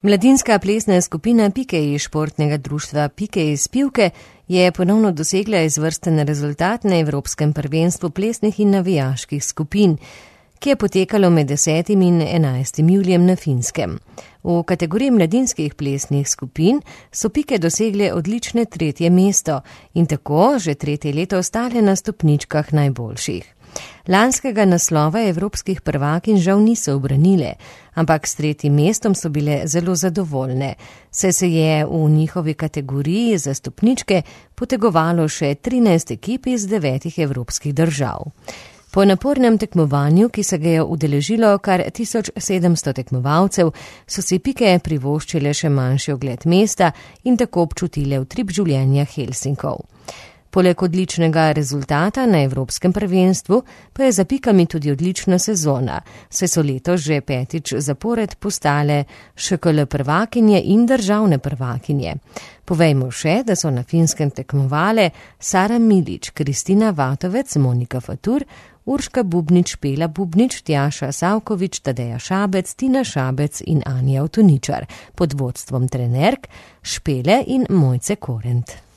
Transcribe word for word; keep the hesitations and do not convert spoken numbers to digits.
Mladinska plesna skupina Pikej iz športnega društva Pikej iz Pivke je ponovno dosegla izvrsten rezultat na Evropskem prvenstvu plesnih in navijaških skupin, ki je potekalo med desetim in enajstim julijem na Finskem. V kategoriji mladinskih plesnih skupin so Pike dosegle odlične tretje mesto in tako že tretje leto ostale na stopničkah najboljših. Lanskega naslova evropskih prvakinj žal niso ubranile, ampak s tretjim mestom so bile zelo zadovoljne, saj se je v njihovi kategoriji za stopničke potegovalo še trinajst ekip iz devetih evropskih držav. Po napornem tekmovanju, ki se ga je udeležilo kar tisoč sedemsto tekmovalcev, so si Pike privoščile še manjši ogled mesta in tako občutile utrip življenja Helsinkov. Poleg odličnega rezultata na Evropskem prvenstvu pa je za Pikami tudi odlična sezona, saj so letos že petič zapored postale š k l prvakinje in državne prvakinje. Povejmo še, da so na Finskem tekmovale Sara Milič, Kristina Vatovec, Monika Fatur, Urška Bubnič, Pela Bubnič, Tjaša Savkovič, Tadeja Šabec, Tina Šabec in Anja Avtoničar pod vodstvom trenerk Špele in Mojce Korent.